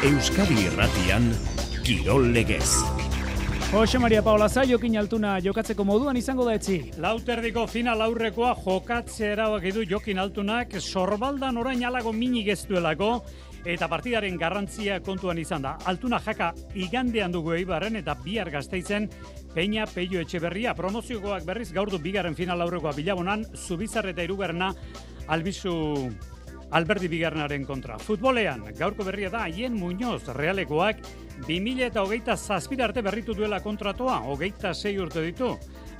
Euskadi Irratian, Kirol Legez. Jose Maria Paola Zaiokin Altuna jokatzeko moduan izango da etzi. Lauterdiko final aurrekoa jokatzea erabaki du Jokin Altunak, sorbaldan orain alago minik ez duelako, eta partidaren garrantzia kontuan izan da. Altuna jaka igandean dugu Eibarren eta bihar Gasteizen Peña Pello Etxeberria. Promoziokoak berriz gaur du bigarren final aurrekoa Bilabonan, Zubizar eta hirugarrena Albizu Alberdi bigarrenaren kontra. Futbolean, gaurko berria da Aien Muñoz Realekoak 2027 arte berritu duela kontratua, 26 urte ditu.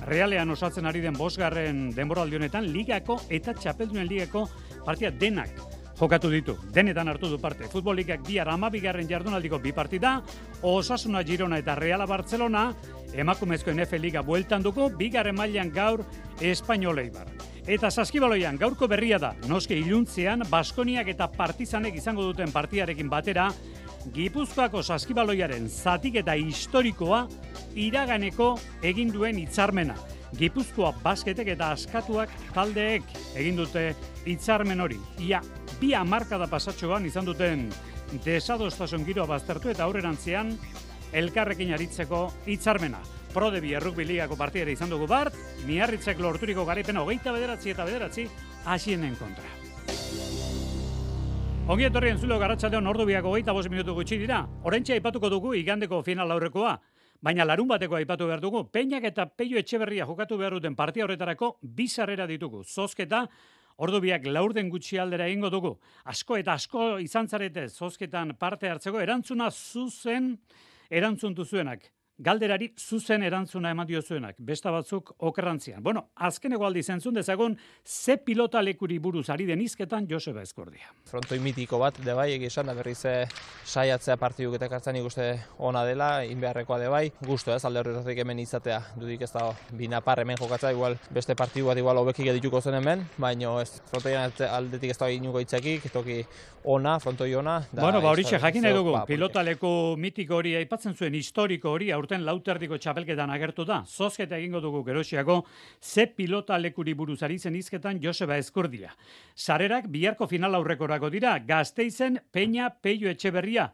Realean osatzen ari den 5. denboraldi honetan ligako eta txapeldunen ligako partida denak jokatu ditu. Denetan hartu du parte. Futbol ligak bihar 12. jardunaldiko 2 partida, Osasuna Girona eta Reala Barcelona, emakumezko NFL Liga bueltan duko, 2. mailan gaur Espainol Eibar. Eta saskibaloian gaurko berria da, noske iluntzean Baskoniak eta Partizanek izango duten partidarekin batera, Gipuzkoako saskibaloiaren zatiketa historikoa iraganeko egin duen hitzarmena. Gipuzkoa basketek eta askatuak taldeek egin dute hitzarmen hori. Ia, 2 hamarkada pasatxoan izan duten desadostasun giroa baztertu eta aurrerantzean elkarrekin aritzeko hitzarmena. Prodebi Errugbi Ligako partidera izan dugu bart, Miarritzek lorturiko garaipena 29 eta 9 Asienen kontra. Ongi etorri entzulo Arratsaldeon ordubiak 25 minutu gutxi dira. Oraintxe aipatuko dugu igandeko final aurrekoa, baina larun bateko aipatu behar dugu. Peñak eta Pello Etxeberria jokatu behar duten partia horretarako 2 sarrera ditugu. Zozketa ordubiak 4 gutxi aldera egingo dugu. Asko eta asko izan zarete zozketan parte hartzeko erantzun duzuenak. Galderari zuzen erantzuna eman diozuenak, besta batzuk okerrantzian. Bueno, azkeneko aldiz entzun dezagun, ze pilota lekuri buruz ari den hizketan Joseba Eskordia. Frontoi mitiko bat, bai, egizan, da berriz saiatzea partiduk eta kartzen ikuste ona dela, inbeharrekoa bai. Gusto ez, alde horretatik hemen izatea, dudik ez da binapar hemen jokatzea, igual beste partidu bat igual hobekik edituko zen hemen, baina ez, frontoian aldetik ez da inuko itzakik, toki ona, frontoi ona. Bueno, horixe jakin nahi dugu, pilota leku mitiko hori aipatzen zuen historiko hori, aurten Lauterdiko txapelketan agertu da. Zozketa egingo dugu Gerosiako, ze pilota lekuri buruz ari zen hizketan Joseba Eskordia. Sarerak biharko final aurrekorako dira, Gasteizen Peña Pello Etxeberria.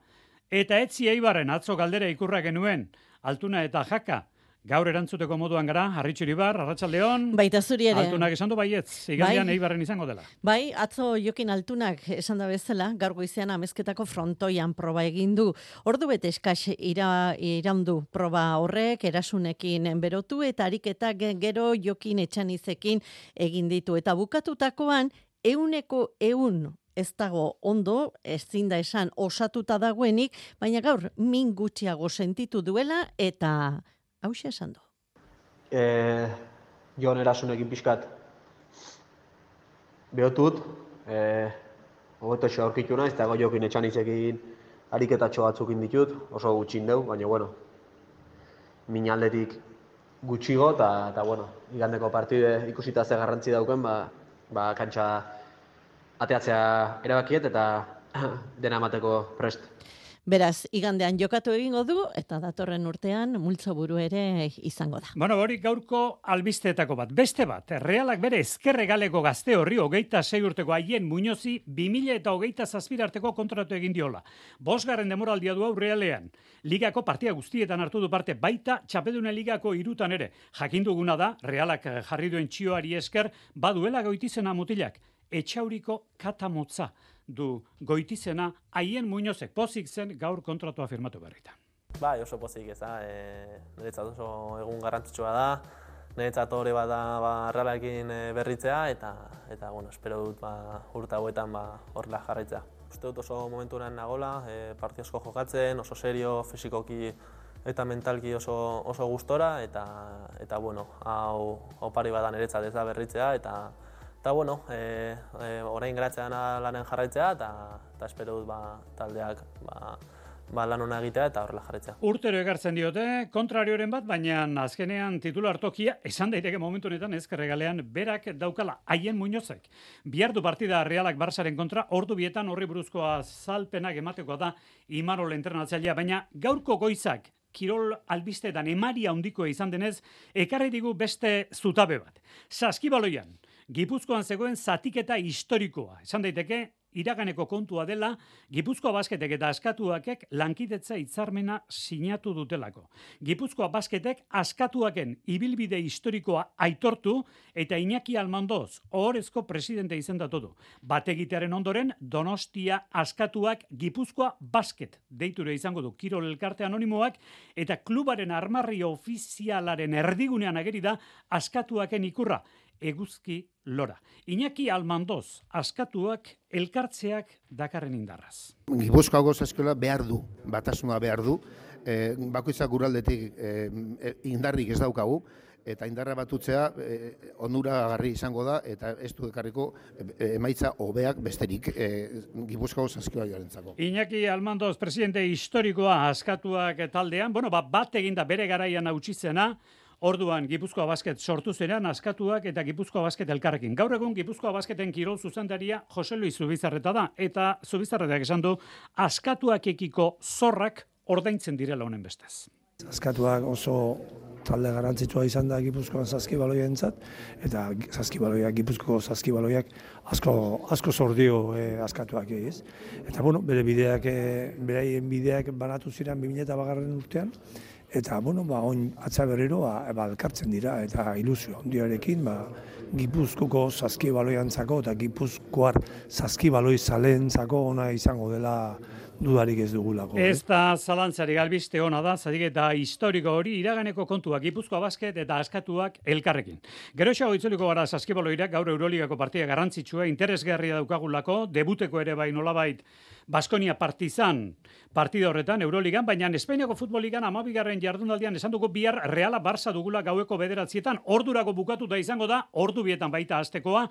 Eta etzi Eibarren atzo galdera ikurra genuen, Altuna eta Jaka. Gaur erantzuteko moduan gara, Arritxuribar, Arratsaldeon. Baita zuri ere. Altunak esan du baietz, igandean Eibarren izango dela. Bai, atzo Jokin Altunak esan da bezala, gaur goizean amezketako frontoian proba egin du. Ordu bete eskas iraundu proba horrek, erasunekin berotu eta ariketak gero Jokin Etxanizekin egin ditu. Eta bukatutakoan, 100% ez dago ondo, ezin da esan osatuta dagoenik, baina gaur min gutxiago sentitu duela eta hauxe esan du. Jon erasunekin pixkat behotut, hogetoxo aurkitu naiz, eta Jokin Etxanizekin ariketatxo batzuk ditut, oso gutxin deu, baina bueno, min aldetik gutxigo, eta bueno, igandeko partide ikusita ze garrantzi dauken, kantxa ateatzea erabakiet eta dena emateko prest. Beraz, igandean jokatu egingo du, eta datorren urtean multzoburu ere izango da. Bueno, hori gaurko albisteetako bat. Beste bat, Realak bere ezkerregaleko gazte horri 26 urteko Aien Muñozi 2027 arteko kontratu egin diola. 5. denboraldia du hau Realean. Ligako partia guztietan hartu du parte, baita txapeldunen ligako 3 ere. Jakin duguna da, Realak jarri duen txioari esker, baduela Goitizena mutilak. Etxauriko katamotza du Goitizena Aien Muñozek pozik zen gaur kontratua firmatu berritan. Bai, oso pozik ez da, niretzat oso egun garrantzitsua da, niretzat hori bat da Realarekin berritzea eta bueno, espero dut urte hauetan horrela jarraitzea. Uste dut oso momenturan nagola, partio asko jokatzen, oso serio, fisikoki eta mentalki oso gustora eta bueno, hau pari badan niretzat ez da berritzea eta bueno, orain geratzen lanen jarraitzea eta espero dut taldeak lan hona egitea eta horrela jarraitzea. Urtero egartzen diote, kontrarioren bat, baina azkenean titular tokia, esan daiteke momentu honetan ezkerregalean berak daukala Aien Muñozek. Bihardu partida Realak Barsaren kontra, ordu bietan horri buruzkoa azalpenak ematekoa da Imanol entrenatzailea, baina gaurko goizak kirol albisteetan emaria handikoa izan denez, ekarri digu beste zutabe bat. Saskibaloian, Gipuzkoan zegoen zatiketa historikoa. Esan daiteke, iraganeko kontua dela, Gipuzkoa Basketek eta Askatuakek lankidetza hitzarmena sinatu dutelako. Gipuzkoa Basketek Askatuaken ibilbide historikoa aitortu eta Iñaki Almandoz ohorezko presidente izendatu du. Bategitearen ondoren Donostia Askatuak Gipuzkoa Basket deiture izango du Kirol Elkarte Anonimoak eta klubaren armarri ofizialaren erdigunean ageri da Askatuaken ikurra. Eguzki Lora. Iñaki Almandoz, Askatuak elkartzeak dakarren indarraz. Gipuzkoako saskiola behar du, batasuna behar du, bakoitzak guraldetik indarrik ez daukagu, eta indarra batutzea onuragarri izango da, eta ez du ekarriko emaitza hobeak besterik Gipuzkoako saskioarentzako. Iñaki Almandoz, presidente historikoa Askatuak taldean, bat eginda bere garaian hautsitzena, orduan Gipuzkoa Basket sortu zenean Askatuak eta Gipuzkoa Basket elkarrekin. Gaur egun Gipuzkoa Basketen kirol zuzendaria Jose Luis Zubizarreta da, eta Zubizarretak esan du Askatuakekiko zorrak ordaintzen direla honen bestez. Askatuak oso talde garrantzitsua izan da Gipuzkoan saskibaloientzat, eta Gipuzkoako saskibaloiak asko zordio Askatuak ez. Eta beraien bideak banatu ziren 2008 urtean, eta oin atza berriro elkartzen dira, eta ilusio handiarekin Gipuzkoako saskibaloiantzako eta Gipuzkoar saskibaloi zaleentzako ona izango dela dudarik ez dugulako. Ez da zalantzarik albiste ona da, zatik eta historiko hori iraganeko kontuak Gipuzkoa Basket eta Askatuak elkarrekin. Geroxago itzuliko gara saskibaloirak gaur Euroligako partida garrantzitsua, interesgarria daukagulako, debuteko ere bai nolabait Baskonia Partizan partida horretan Euroligan, baina Espainiako futboligan 12. jardunaldian esan dugu bihar Reala Barça dugula gaueko 9:00, ordurako bukatuta izango da, ordu bietan baita hastekoa.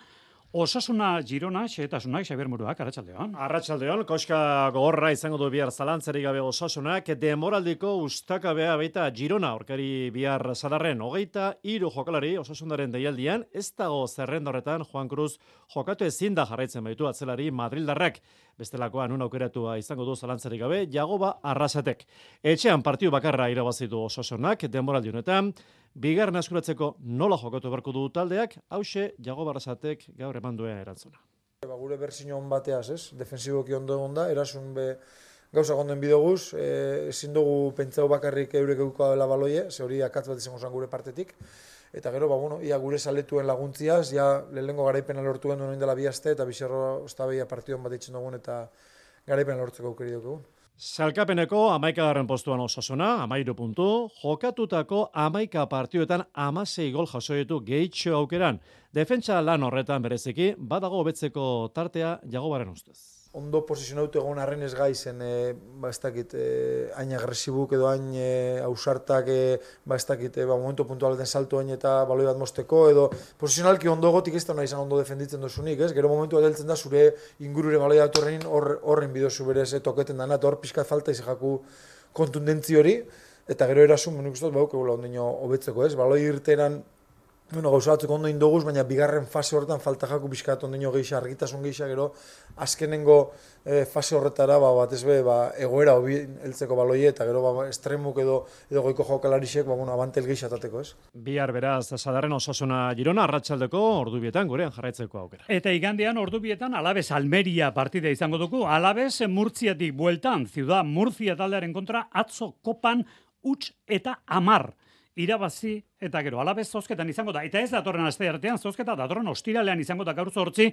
Osasuna Girona, xehetasunak, Xabier Muruak, arratsaldeon. Arratsaldeon, koska gogorra izango du bihar zalantzarik gabe Osasunak, demoraldiko ustakabea baita Girona, aurkari bihar zadarren 23 jokalari Osasunaren deialdian, ez dago zerrenda horretan Juan Cruz jokatu ezin da jarraitzen baitu atzelari Madrildarrak. Bestelakoan aukeratua izango du zalantzarik gabe Jagoba Arrasatek. Etxean partiu bakarra irabazitu Osasunak denboraldi honetan, bigarren askuratzeko nola jokatu beharko du taldeak, hauxe Jagoba Arrasatek gaur eman duen erantzuna. Gure berzino on bateaz, ez? Defensiboki ondo egon da, erasun gauza gonden bidoguz, ezin dugu pentsau bakarrik eurek eukoa dela baloie, ze hori akatz bat izango zen gure partetik. Eta gero, ia gure saletuen laguntziaz, lehenengo garaipena lortu gendu noin dela 2 aste, eta bizarro ostabeia partidon bat ditzen dugun, eta garaipena lortzeko aukeri dugu. Salkapeneko 11. postuan Osasuna, 13 puntu, jokatutako 11 partioetan 16 gol jaso ditu gehitxo aukeran. Defentsa lan horretan bereziki, badago hobetzeko tartea Jagobaren ustez. Ondo posizionautu egon arren ez gaizen, ez dakit, hain agresibuk edo hain ausartak, ez dakit, momentu puntualeten salto hain eta baloi bat mosteko, edo posizionalki ondo gotik ez da nahi izan ondo defenditzen dozunik, ez? Gero momentu bat heltzen da zure ingurure baloi bat horren bidozu berez toketen dana, eta hor pixkat falta izajaku kontundentzi hori, eta gero erasun, nik uste dut baukegula ondino hobetzeko, ez? Baloi irteran gauza batzuk ondo indoguz, baina bigarren fase horretan falta jaku pixkat ondino geisha, argitasun geisha, gero azkenengo fase horretara batez egoera hobi heltzeko baloie, eta gero estremuk edo goiko jokalarisek abantel geisha tateko, ez? Bihar beraz, zadarren Osasuna Girona, arratsaldeko ordubietan gurean jarraitzeko aukera. Eta igandean ordubietan Alaves Almeria partida izango dugu. Alaves Murtziatik bueltan, Ciudad Murcia taldearen kontra, atzo kopan huts eta 10 irabazi eta gero Alaves zozketan izango da. Eta ez datorren aste artean zozketa, datorren ostiralean izango da gaur 8,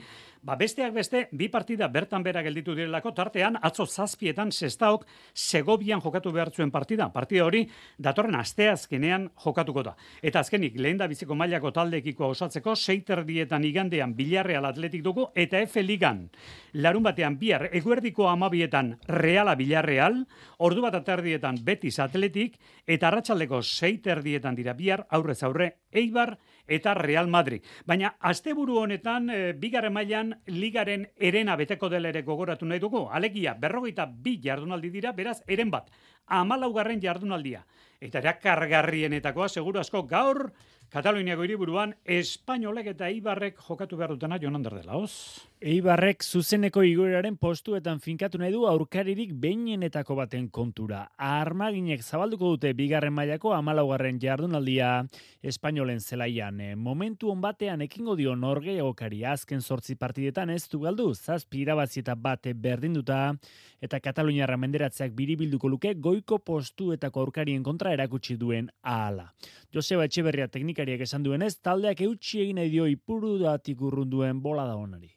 besteak beste, 2 partida bertan bera gelditu direlako, tartean atzo 7etan Sestaok Segovian jokatu behar zuen partida. Partida hori datorren asteazkenean jokatuko da. Eta azkenik, lehen da biziko mailako taldeekiko osatzeko, 6:30 igandean Villarreal Atletik dugu, eta F Ligan. Larun batean bihar eguerdiko 12etan Reala Villarreal, ordu bat aterdietan Betis Atletik, eta arratsaldeko 6:30 dira bihar aurrez aurre Eibar eta Real Madrid. Baina asteburu honetan bigarren mailan ligaren erena beteko dela ere gogoratu nahi dugu. Alegia 42 jardunaldi dira, beraz eren bat 14. jardunaldia. Eta erakargarrienetakoa seguru asko gaur Kataluniako hiriburuan Espainolek eta Eibarrek jokatu behar dutena Jon Ander de Laoz. Eibarrek zuzeneko igoeraren postuetan finkatu nahi du aurkaririk behinenetako baten kontura. Armaginek zabalduko dute bigarren mailako 14. jardunaldia Espainolen zelaian. Momentu on batean ekingo dio norgehiagokari azken 8 partidetan ez du galdu, 7 irabazi eta 1 berdinduta, eta Kataluniarra menderatzeak biribilduko luke goiko postuetako aurkarien kontra erakutsi duen ahala. Joseba Etxeberria teknikariak esan duenez, taldeak eutsi egin nahi dio Ipurudatik urrunduen bolada onari.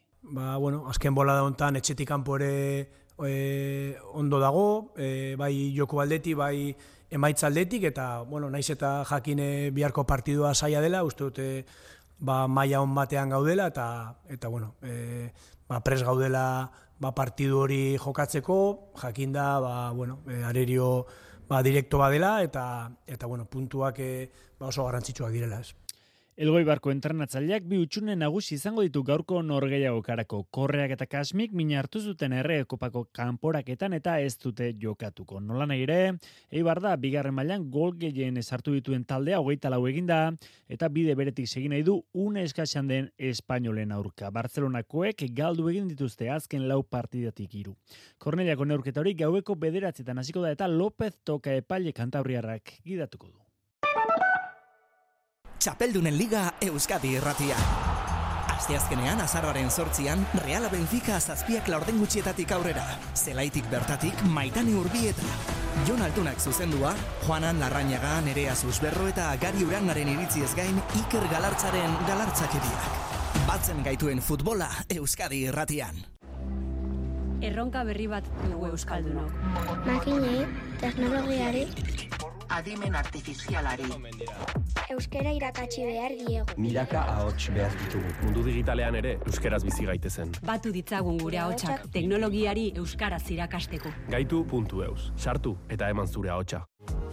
Azken bolada hontan etxetik kanpo ere ondo dago, bai joko aldetik, bai emaitza aldetik, eta naiz eta jakine biharko partidua zaila dela, uste dute maila on batean gaudela, eta pres gaudela partidu hori jokatzeko, jakinda arerio direkto badela, eta puntuak oso garrantzitsuak direla, ez. Elgoibarko entrenatzaileak 2 hutsune nagusi izango ditu gaurko norgehiagokarako. Korreak eta Kasmik min hartu zuten Errekopako kanporaketan eta ez dute jokatuko. Nolanahi ere, Eibar da bigarren mailan gol gehien sartu dituen taldea 24 eginda eta bide beretik segin nahi du une eskasean den Espainolen aurka. Bartzelonakoek galdu egin dituzte azken 4 partidatik 3. Korneliako neurketa hori gaueko 9:00 hasiko da eta López Toka epaile kantabriarrak gidatuko du. Txapeldunen Liga Euskadi irratia. Asteazkenean azaroaren 8an Reala Benfica 7 laurden gutxietatik aurrera. Zelaitik bertatik Maitane Urbieta. Jon Altunak zuzendua, Juanan Larrañaga, Nerea Susberro eta Gari Urangaren iritziez gain Iker Galartzaren galartzakeriak. Batzen gaituen futbola Euskadi irratian. Erronka berri bat dugu euskaldunok. Makinei, teknologiari, adimen artifizialari. Euskara irakatsi behar diegu. Milaka ahots behar ditugu. Mundu digitalean ere euskeraz bizi gaitezen. Batu ditzagun gure ahotsak teknologiari euskaraz irakasteko. Gaitu.eus. Sartu eta eman zure ahotsa.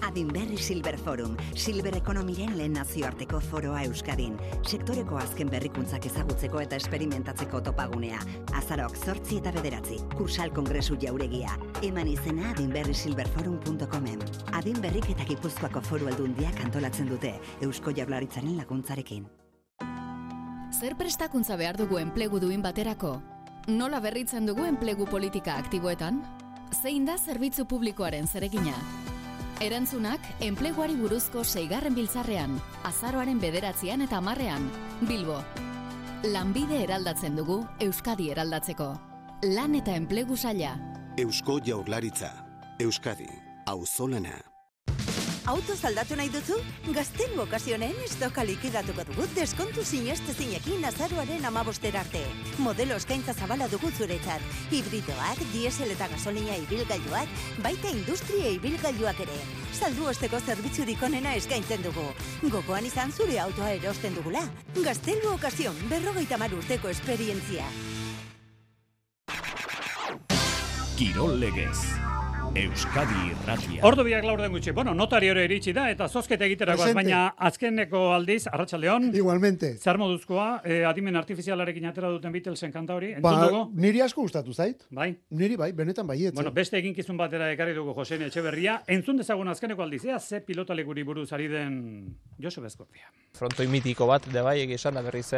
Adinberri Silver Forum, Silver Ekonomiren lehen nazioarteko foroa Euskadin. Sektoreko azken berrikuntzak ezagutzeko eta esperimentatzeko topagunea. Azaroak 8 eta 9, Kursal Kongresu jauregia. Eman izena adinberrisilverforum.comen. Adinberrik eta Gipuzkoako Foru Aldundiak antolatzen dute, Eusko Jaurlaritzaren laguntzarekin. Zer prestakuntza behar dugu enplegu duin baterako? Nola berritzen dugu enplegu politika aktiboetan? Zein da zerbitzu publikoaren zeregina? Erantzunak enpleguari buruzko 6. biltzarrean, azaroaren 9 eta 10, Bilbo. Lanbide eraldatzen dugu Euskadi eraldatzeko. Lan eta enplegu saila. Eusko Jaurlaritza. Euskadi. Auzolana. Autoz aldatu nahi duzu? Gazten okazionen estoka likidatuko dugu deskontu sinestezinekin azaroaren 15 arte. Modelo eskaintza zabala dugu zuretzat. Hibridoak, diesel eta gasolina ibilgailuak, baita industria ibilgailuak ere. Saldu osteko zerbitzurik onena eskaintzen dugu. Gogoan izan zure autoa erosten dugula. Gaztelu okazion, 50 urteko esperientzia. Kirol legez. Euskadi irratia. Ordu biak laurden gutxi. Notari hori iritsi da, eta zozketa egiterakoaz, baina azkeneko aldiz, arratsaldeon. Igualmente. Zer moduzkoa, adimen artifizialarekin atera duten Beatlesen kanta hori, entzun dugu? Niri asko gustatu zait. Bai? Niri bai, benetan baietz. Beste eginkizun batera ekarri dugu Josene Etxeberria. Entzun dezagun azkeneko aldiz, ze pilotalekuri buruz ari den Joseba Eskordia. Frontoi mitiko bat, bai, egizan, da berriz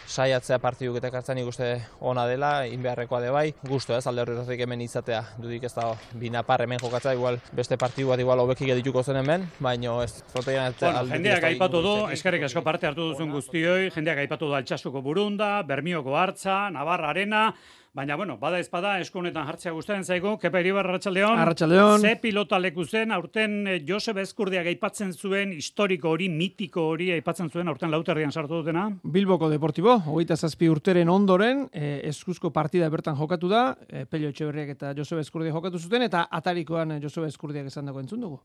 saiatzea partiduk eta kartzen ikuste ona dela, inbeharrekoa bai. Gusto ez, alde horretik hemen izatea, dudik ez da binapar hemen jokatza, igual beste partidu bat igual hobekik edituko zen hemen, baina ez frontoian jendeak aipatu du, eskerrik asko parte hartu duzun guztioi, jendeak aipatu du Altsasuko Burunda, Bermioko Hartza, Navarra Arena, baina, bada ezpada, esku honetan jartzea gustatzen zaigu. Kepa Iribar, arratsaldeon. Arratsaldeon. Ze pilota leku zen, aurten Joseba Eskurdiak aipatzen zuen, historiko hori, mitiko hori aipatzen zuen, aurten Lauterrian sartu dutena? Bilboko Deportibo, 27 urteren ondoren, eskuzko partida bertan jokatu da, Pello Etxeberriak eta Joseba Eskurdiak jokatu zuten, eta atarikoan Joseba Eskurdiak esan dago entzun dugu.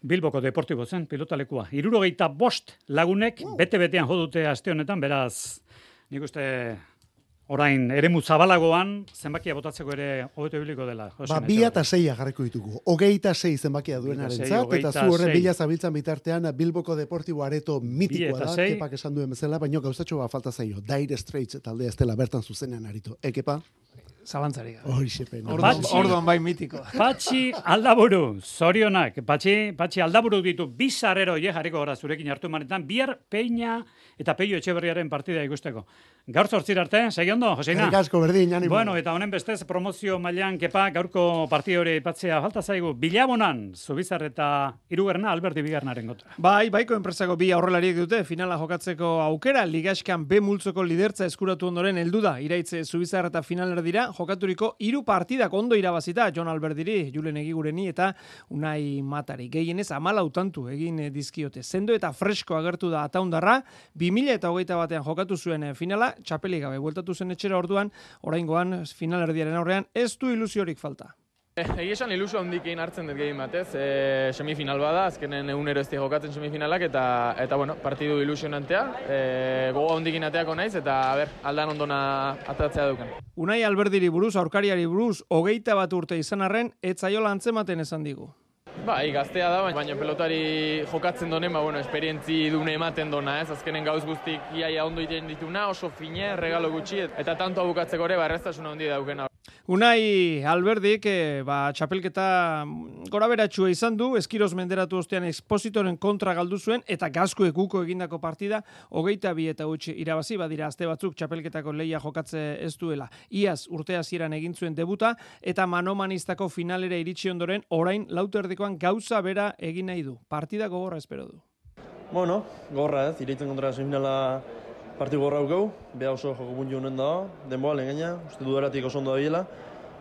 Bilboko Deportibo zen, pilota lekua. 75 lagunek, bete-betean jodute aste honetan, beraz, nik uste... Orain, eremu zabalagoan, zenbakia botatzeko ere hobeto ibiliko dela. 2 eta 6 jarriko ditugu. 26 zenbakia duenarentzat, eta zu horren bila zabiltzan bitartean Bilboko Deportibo areto mitikoa da, Kepak esan duen bezala, baina gauzatxo falta zaio. Dire Straits taldea ez dela bertan zuzenean aritu. Kepa? zalantzarik. Orduan bai mitiko. Patxi Aldaburu, zorionak. Patxi Aldaburu ditu bizarrero jarriko gara zurekin hartu manetan, bihar Peña eta Peio Etxeberriaren partida ikusteko. Gaur 8 arte, segi ondo, Joseina? Eskerrik asko, berdin, animo. Bueno, eta honen bestez, promozio mailan kepa, gaurko partida hori aipatzea falta zaigu. Bilabonan, Zubizar eta hirugarrena Alberti bigarnaren kontra. Bai, baiko enpresako bi aurrelariek dute finala jokatzeko aukera, Ligaskan B multzoko lidertza eskuratu ondoren heldu da. Iraitze Zubizar eta finaler dira, jokaturiko 3 partidak ondo irabazita, Jon Albertiri, Julen Egigureni eta Unai Matari. Gehienez 14 tantu egin dizkiote. Sendo eta fresko agertu da Ataundarra, 2021 jokatu zuen finala, txapelik gabe bueltatu zen etxera orduan, oraingoan finalerdiaren aurrean ez du ilusiorik falta. Egia esan ilusio handikin hartzen dut gehien batez, semifinal bada, azkenen egunero ez jokatzen semifinalak, eta bueno, partidu ilusionantea, gogo handikin ateako naiz, eta aldan ondona atatzea duken. Unai Alberdiri buruz, aurkariari buruz, 21 urte izan arren, etzaiola antzematen esan digu. Bai, gaztea da, baina pelotari jokatzen donen, esperientzi dune ematen dona, ez? Azkenen gauz guztik iaia ondo iten dituna, oso fine, regalo gutxi, eta tanto bukatzeko ere, erreztasuna handi daukena. Unai Alberdik, txapelketa gora beratxua izan du, eskiroz menderatu ostean Expositoren kontra galdu zuen, eta Gazkuek uko egindako partida, 22 eta utzi irabazi, badira azte batzuk txapelketako leia jokatze ez duela. Iaz urte hasieran egin zuen debuta, eta manomanistako finalera iritsi ondoren, orain lauterdikoan gauza bera egin nahi du. Partida gogorra espero du. Bueno, gogorra ez, ireitzen kontra semifinala partidu gorra aukau, beha oso joko puntu honen dago, denboa lehen gaina, uste dudaratik oso ondo da biela,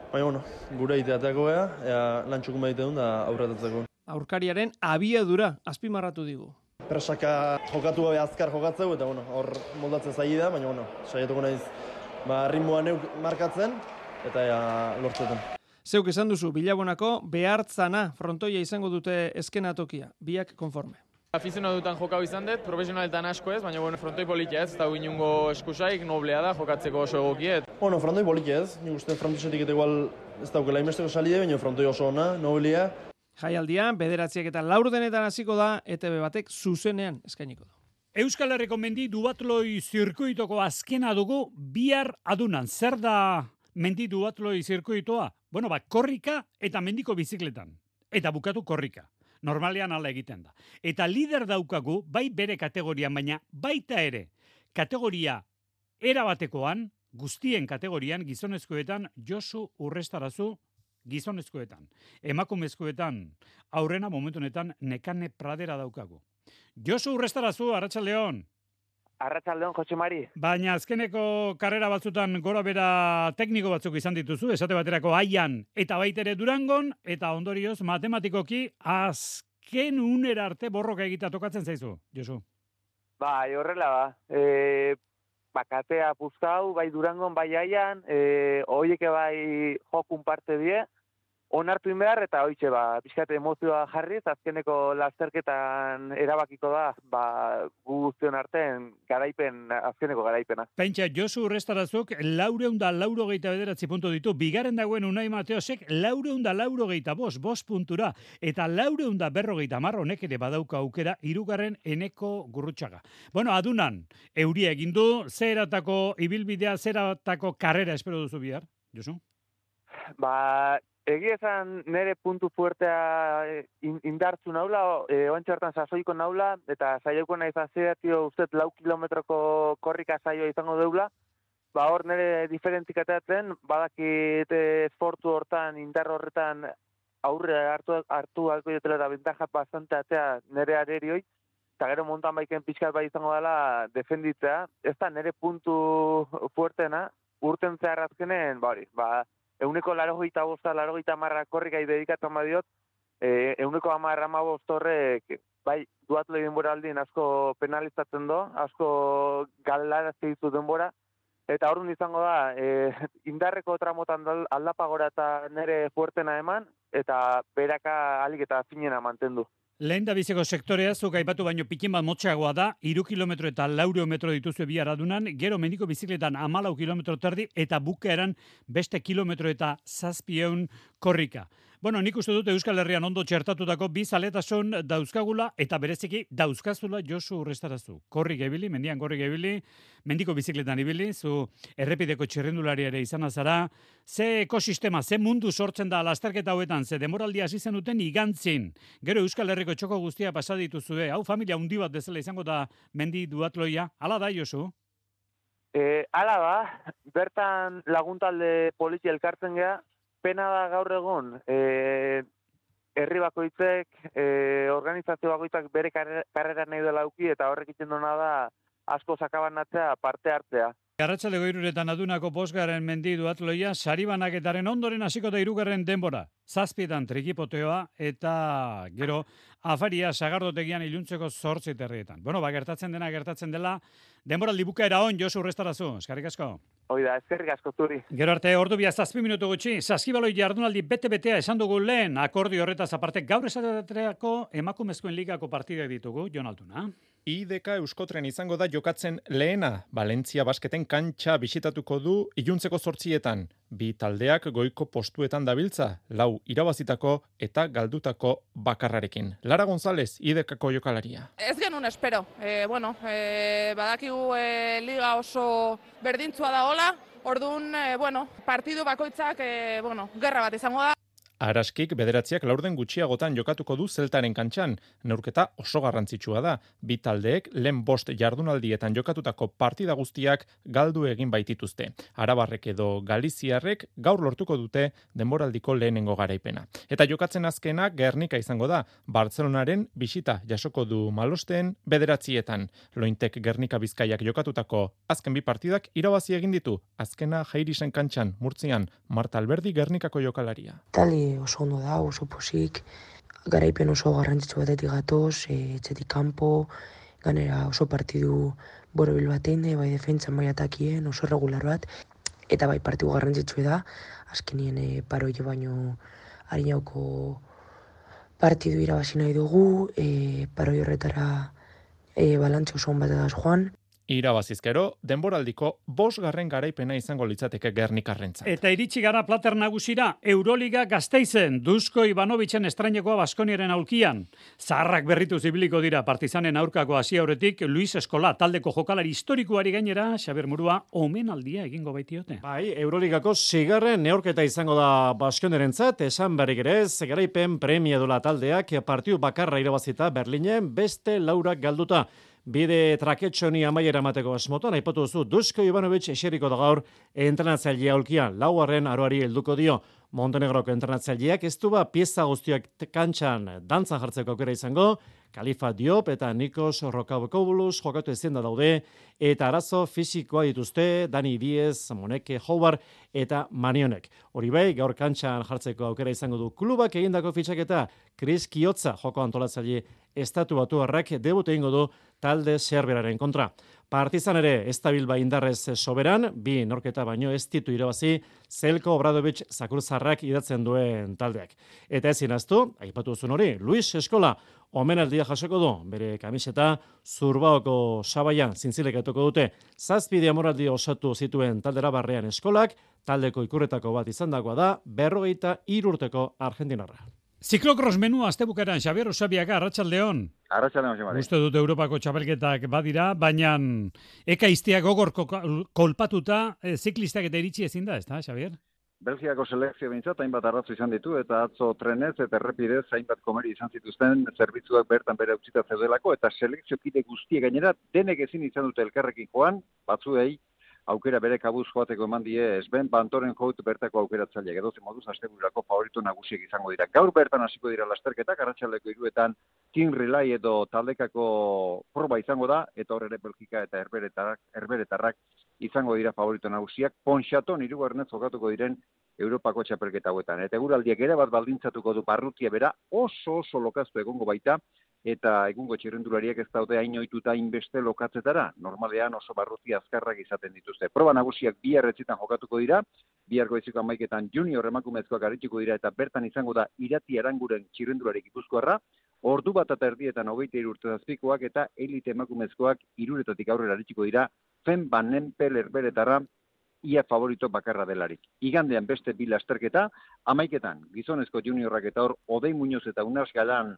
baina bueno, gure iteateako beha, ea lan txukun behite duen da aurretatzeko. Aurkariaren abiadura azpimarratu digu. Presaka jokatu gabe azkar jokatzeu, eta bueno, hor moldatzen zaila da, baina bueno, saiatuko naiz ritmoa neuk markatzen, eta ea lortzetan. Zeuk esan duzu, Bilabonako behartzana frontoia izango dute eskenatokia, biak konforme. Afizionatu dutan jokau izan dut, profesionaletan asko ez, baina bueno, frontoi politia ez, eta inungo eskusaik, noblea da, jokatzeko oso egokiet. Bueno, frontoi politia ez, nik uste frontoizetik eta igual ez daukela imesteko salide, baina frontoi oso ona, noblea. Jaialdian, 9 denetan hasiko da, ETV batek zuzenean eskainiko du. Euskal Herriko mendi duatloi zirkuitoko azkena dugu bihar adunan. Zer da mendi duatloi zirkuitoa? Bueno, korrika eta mendiko bizikletan. Eta bukatu korrika. Normalean ala egiten da. Eta lider daukagu, bai bere kategorian, baina baita ere, kategoria erabatekoan, guztien kategorian, gizonezkoetan, Josu Urrestarazu gizonezkoetan. Emakumezkoetan, aurrena momentu honetan Nekane Pradera daukagu. Josu Urrestarazu, Arratsaldeon. Arratsaldeon, Jose Mari. Baina azkeneko karrera batzutan gora bera tekniko batzuk izan dituzu, esate baterako Aian eta baitere Durangon, eta ondorioz matematikoki azken unera arte borroka egita tokatzen zaizu, Josu. Bai, horrela bakatea puztau, bai Durangon, bai Aian, hoieke bai jokun parte die, onartu inbehar eta hoitxe pixkat emozioa jarriz, azkeneko lasterketan erabakiko da, gu guztion artean azkeneko garaipena. Pentsa, Josu Urrestarazuk 489 puntu ditu, bigarren dagoen Unai Mateosek 495 puntura, eta 450 honek ere badauka aukera, hirugarren Eneko Gurrutxaga. Bueno, adunan, euria egin du, zeratako ibilbidea, zeratako karrera espero duzu bihar, Josu? Egia esan nire puntu fuertea indartzu naula, oantxe hartan sasoiko naula, eta saioko nahi zazeatio ustez 4 kilometroko korrika saioa izango deula. Hor nire diferentzikateatzen, badakit esportu hortan, indar horretan aurre hartu alko jotela eta bentaja bastante atea nire arerioi, eta gero mountain biken pixkat bai izango dela defenditzea. Ez da nire puntu fuertena, urten zehar azkenen, Euneko 85 korrikai dedikatzen badiot, euneko 10-15 horrek, bai, duatloi denbora aldin asko penalizatzen do, asko galarazte ditu denbora, eta horren izango da, indarreko tramotan aldapagora eta nire fuertena eman, eta beraka alik eta finena mantendu. Lehen da biziko sektorea, zuk aipatu baino pikin bat motxeagoa da, 3 kilometro eta 4 metro dituzue bihar adunan, gero mendiko bizikletan 14 kilometro terdi, eta bukaeran beste kilometro eta 700 korrika. Bueno, nik uste dut Euskal Herrian ondo txertatutako bi zaletasun dauzkagula eta bereziki dauzkazula Josu Urrestarazu. Korrik ebili, mendian korrik ebili, mendiko bizikletan ibili, zu errepideko txirrindulari ere izan zara. Ze ekosistema, ze mundu sortzen da lasterketa hauetan, ze demoraldia hasi zenuten igantzin. Gero Euskal Herriko txoko guztia pasa dituzue. Hau familia handi bat bezala izango da mendi duatloia. Hala da, Josu? Hala da, bertan laguntalde polizia elkartzen gea, pena da gaur egon, herri bakoitzek, organizazio bakoitzak bere karrera nahi dela auki, eta horrek iten duna da asko sakabanatzea parte hartzea. Arratsaldeko 3 adunako 5. mendi duatloia, saribanaketaren ondoren hasiko da 3. denbora. 7 trikipoteoa eta gero afaria sagardotegian iluntzeko 8:30. Bueno, gertatzen dela, denboraldi bukaera on, Josu Urrestarazu. Eskerrik asko. Hoi da, eskerrik asko zuri. Gero arte, ordu 7 minutu gutxi, saskibaloi jardunaldi bete-betea esan dugu lehen, akordio horretaz aparte, gaur esateako emakumezkoen ligako partidak ditugu, Jon Altuna. IDK Euskotren izango da jokatzen lehena, Valentzia basketen kantxa bisitatuko du iluntzeko 8:00. Bi taldeak goiko postuetan dabiltza, 4 irabazitako eta galdutako bakarrarekin. Lara González, IDKko jokalaria. Ez genuen espero. Badakigu liga oso berdintzua da hola, orduan, partidu bakoitzak, gerra bat izango da. Araskik 9 laurden gutxiagotan jokatuko du Zeltaren kantxan. Neurketa oso garrantzitsua da. Bi taldeek lehen 5 jardunaldietan jokatutako partida guztiak galdu egin baitituzte. Arabarrek edo Galiziarrek gaur lortuko dute denboraldiko lehenengo garaipena. Eta jokatzen azkena Gernika izango da. Bartzelonaren bisita jasoko du Malosten 9. Lointek Gernika Bizkaiak jokatutako azken bi partidak irabazi egin ditu. Azkena Jairisen kantxan, Murtzian, Marta Alberdi Gernikako jokalaria. Oso ondo da, oso posik, garaipen oso garrantzitsu batetik gatoz, etxetik kanpo, ganera oso partidu borobil batein, bai defentsan, bai atakien, oso regular bat, eta bai partidu garrantzitsu da, azkenien paroile baino harinauko partidu irabazi nahi dugu, paroi horretara balantze oso on bat edaz joan. Irabazizkero, denboraldiko 5. garaipena izango litzateke Gernikarrentzat. Eta iritsi gara plater nagusira, Euroliga Gasteizen, Dusko Ivanovitzen estreinekoa Baskoniaren aulkian. Zaharrak berrituz ibiliko dira Partizanen aurkako hasi aurretik, Luis Eskola taldeko jokalari historikoari gainera, Xabier Murua, omenaldia egingo baitiote. Bai, Euroligako 6. neorketa izango da Baskoniarentzat, esan berrik ere, garaipen premia dola taldeak partidu bakarra irabazita Berlinen beste 4 galduta. Bide traketxoni amaiera mateko asmotan, aipatu duzu, Dusko Ivanovic eseriko da gaur entrenatzailea aulkian, 4. aroari helduko dio. Montenegroko entrenatzaileak ez du pieza guztiak kantxan dantzan jartzeko aukera izango, Kalifa Diop eta Nikos Rokabokobulus jokatu ezin da daude, eta arazo fisikoa dituzte Dani Diez, Moneke Howard eta Manionek. Hori bai, gaur kantxan jartzeko aukera izango du klubak egindako fitxaketa, Chris Kiotza joko antolatzaile estatu batuarrak debut egingo du talde serberaren kontra. Partizan ere, ez da Bilba indarrez soberan, 2 norketa baino ez ditu irabazi, Zelko Obradovic Zakurzarrak idatzen duen taldeak. Eta ezin aztu, aipatu zuen hori, Luis Eskola, omenaldia jasoko du, bere kamiseta Zurbaoko sabaian zintzilekatuko dute. 7 demoraldi osatu zituen taldera barrean Eskolak, taldeko ikurretako bat izandakoa da, 43 urteko argentinarra. Ziklokros menua astebukaran, Xabier Osabiaga, Arratsaldeon. Arratsaldeon, Xabier. Uste dut Europako txapelketak badira, baina ekaiztiak gogor kolpatuta, ziklistak eta iritsi ezin da, ezta, Xabier? Belgiako selekzio bintzat, hainbat arratzo izan ditu, eta atzo trenez eta errepidez hainbat komeri izan zituzten zerbitzuak bertan bere utzita zeudelako, eta selekzio kide guztiek gainera denek ezin izan dute elkarrekin joan, batzuei aukera bere kabuz joateko eman die Sven Bantoren jout bertako aukeratzaileak. Edozein moduz astebururako favorito nagusiek izango dira. Gaur bertan hasiko dira lasterketak, arratsaldeko 3 Team Relay edo taldekako proba izango da, eta hor ere Belgika eta Herberetarrak izango dira favorito nagusiak. Ponchaton 3. jokatuko diren Europako txapelketa hauetan. Eta eguraldiak ere bat baldintzatuko du barrutia bera, oso lokaztu egongo baita, eta egungo txirrendulariak ez daude hain ohituta hainbeste lokatzetara. Normalean oso barrutia azkarrak izaten dituzte. Proba nagusiak 2 etzitan jokatuko dira, 2 goizeko 11etan junior emakumezkoak arituko dira, eta bertan izango da Irati Aranguren txirrendulari Gipuzkoarra, 1:30 23 urte zazpikoak eta elite emakumezkoak 3 aurrera arituko dira, Fen Van Empel Herberetarra ia favorito bakarra delarik. Igandean beste bi lasterketa, 11etan gizonezko juniorrak eta hor Odei Muñoz eta Unas Galan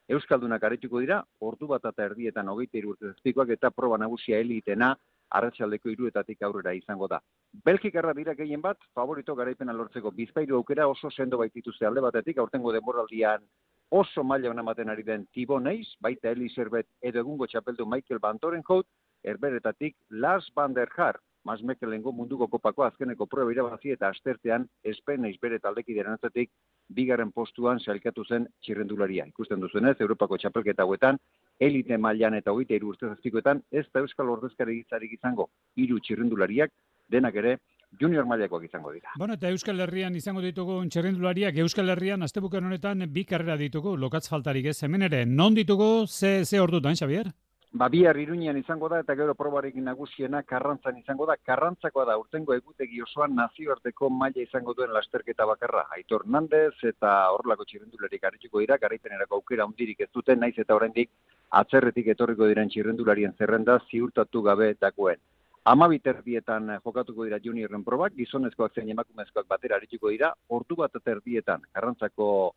euskaldunak arituko dira, ordu bat eta erdietan 23 urte zazpikoak eta proba nagusia elitena arratsaldeko 3etatik aurrera izango da. Belgikarra dira gehien bat, favorito garaipena lortzeko bizpahiru aukera oso sendo baitituzte alde batetik, aurtengo denboraldian oso maila ona ematen ari den Thibaut Nys, baita Eli Servet edo egungo txapeldu Michael Van Torenhout, Herberetatik Lars van der Haar, Masmekelengo munduko kopako azkeneko proba irabazi eta astertean Espen Nys bere taldekideren atzetik bigarren postuan sailkatu zen txirrendularia. Ikusten duzuenez, Europako txapelketa hauetan, elite mailan eta 23 urte zazpikoetan ez da euskal ordezkari izango 3 txirrendulariak, denak ere junior mailakoak izango dira. Bueno, eta Euskal Herrian izango ditugu txirrendulariak, Euskal Herrian astebuken honetan bi karrera ditugu, lokatz faltarik ez, hemen ere, non ditugu, ze ordutan, Xabier? Bihar Iruñean izango da eta gero probarekin nagusiena Karrantzan izango da. Karrantzakoa da urtengo egutegi osoan nazioarteko maila izango duen lasterketa bakarra. Aitor Nandez eta horrelako txirrendularik arituko dira, garaipenerako aukera hundirik ez duten, naiz eta oraindik atzerretik etorriko diren txirrendularien zerrenda ziurtatu gabe dagoen. 12 jokatuko dira juniorren probak, gizonezkoak zein emakumezkoak batera arituko dira, ordu bat eta erdietan Karrantzako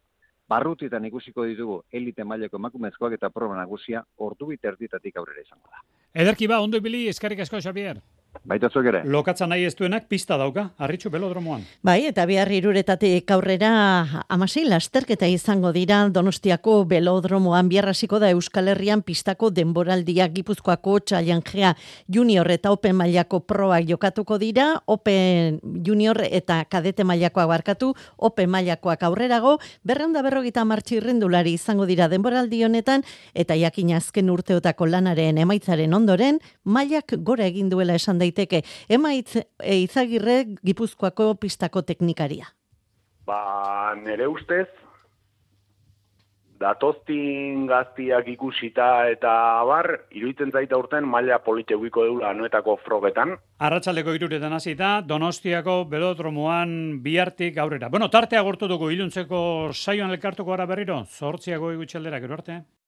barrutietan ikusiko ditugu elite mailako emakumezkoak eta proba nagusia ordu 2:00 aurrera izango da. Ederki ba, ondo ibili, eskerrik asko, Xabier. Baita zuek ere. Lokatza nahi ez duenak pista dauka, Arritxu belodromoan. Bai, eta bihar 3etatik aurrera 16 lasterketa izango dira Donostiako belodromoan. Bihar hasiko da Euskal Herrian pistako denboraldia, Gipuzkoako Challengea Junior eta Open mailako proak jokatuko dira, Open Junior eta kadete mailakoak barkatu, Open mailakoak aurrerago, 250 txirrendulari izango dira denboraldi honetan, eta jakin azken urteotako lanaren emaitzaren ondoren, mailak gora egin duela esan daiteke. Emaitz Izagirre Gipuzkoako pistako teknikaria. Nere ustez, datoztin gaztiak ikusita eta abar, iruditzen zaita urten maila polite guiko deula anuetako frogetan. Arratsaldeko 3:00 hasita, Donostiako belodromoan bihartik aurrera. Bueno, tartea agortu dugu iluntzeko saioan elkartuko gara berriro, 8 gutxi aldera, gero arte.